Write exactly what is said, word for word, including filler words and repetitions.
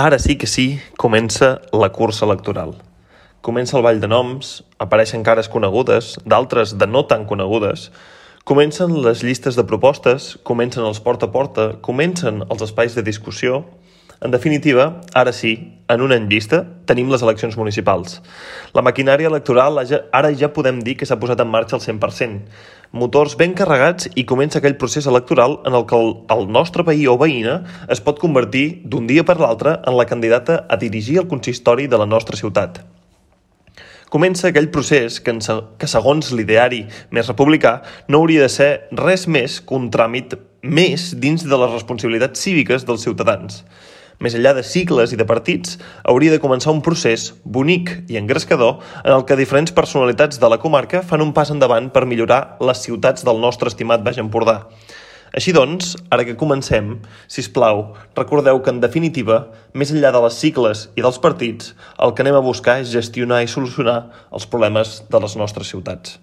Ara sí que sí, comença la cursa electoral. Comença el ball de noms, apareixen cares conegudes, d'altres de no tan conegudes, comencen les llistes de propostes, comencen els porta a porta, comencen els espais de discussió. En definitiva, ara sí, en un any vista, tenim les eleccions municipals. La maquinària electoral ara ja podem dir que s'ha posat en marxa al cent per cent. Motors ben carregats i comença aquell procés electoral en el que el, el nostre veí o veïna es pot convertir d'un dia per l'altre en la candidata a dirigir el consistori de la nostra ciutat. Comença aquell procés que, en, que segons l'ideari més republicà, no hauria de ser res més que un tràmit més dins de les responsabilitats cíviques dels ciutadans. Més enllà de sigles i de partits, hauria de començar un procés bonic i engrescador en el que diferents personalitats de la comarca fan un pas endavant per millorar les ciutats del nostre estimat Baix Empordà. Així doncs, ara que comencem, sisplau, recordeu que, en definitiva, més enllà de les sigles i dels partits, el que anem a buscar és gestionar i solucionar els problemes de les nostres ciutats.